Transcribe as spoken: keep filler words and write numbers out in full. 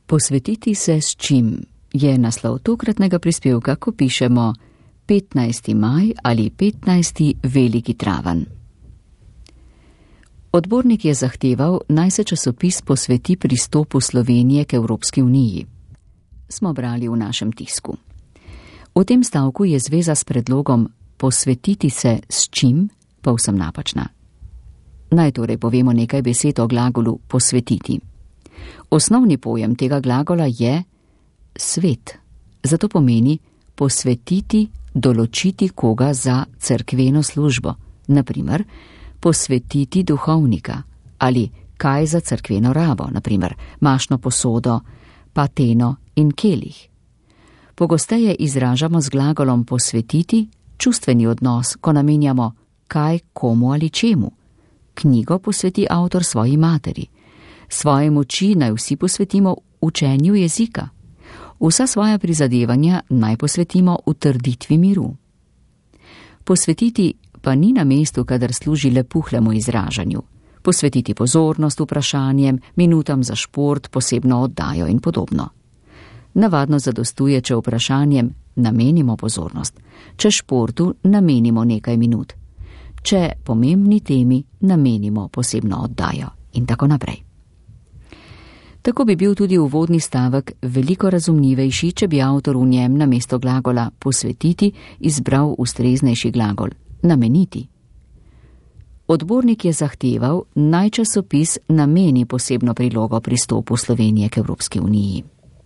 Posvetiti se s čim je naslov tokratnega prispevka, ko pišemo petnajsti maj ali petnajsti veliki traven. Odbornik je zahteval, naj se časopis posveti pristopu Slovenije k Evropski uniji. Smo brali v našem tisku. V tem stavku je zveza s predlogom posvetiti se s čim povsem napačna. Naj torej povemo nekaj besed o glagolu posvetiti. Osnovni pojem tega glagola je svet. Zato pomeni posvetiti, določiti koga za cerkveno službo, na primer posvetiti duhovnika ali kaj za cerkveno rabo, na primer mašno posodo, pateno in kelih. Pogosteje izražamo z glagolom posvetiti čustveni odnos, ko namenjamo kaj komu ali čemu. Knjigo posveti avtor svoji materi. Svoje moči naj vsi posvetimo učenju jezika. Vsa svoja prizadevanja naj posvetimo utrditvi miru. Posvetiti pa ni na mestu, kadar služi le puhlemu izražanju. Posvetiti pozornost vprašanjem, minutam za šport, posebno oddajo in podobno. Navadno zadostuje, če vprašanjem namenimo pozornost, če športu namenimo nekaj minut, če pomembni temi namenimo posebno oddajo in tako naprej. Tako bi bil tudi uvodni stavek veliko razumljivejši, če bi avtor v njem namesto glagola posvetiti izbral ustreznejši glagol nameniti. Odbornik je zahteval, naj časopis nameni posebno prilogo pristopu Slovenije k Evropski uniji.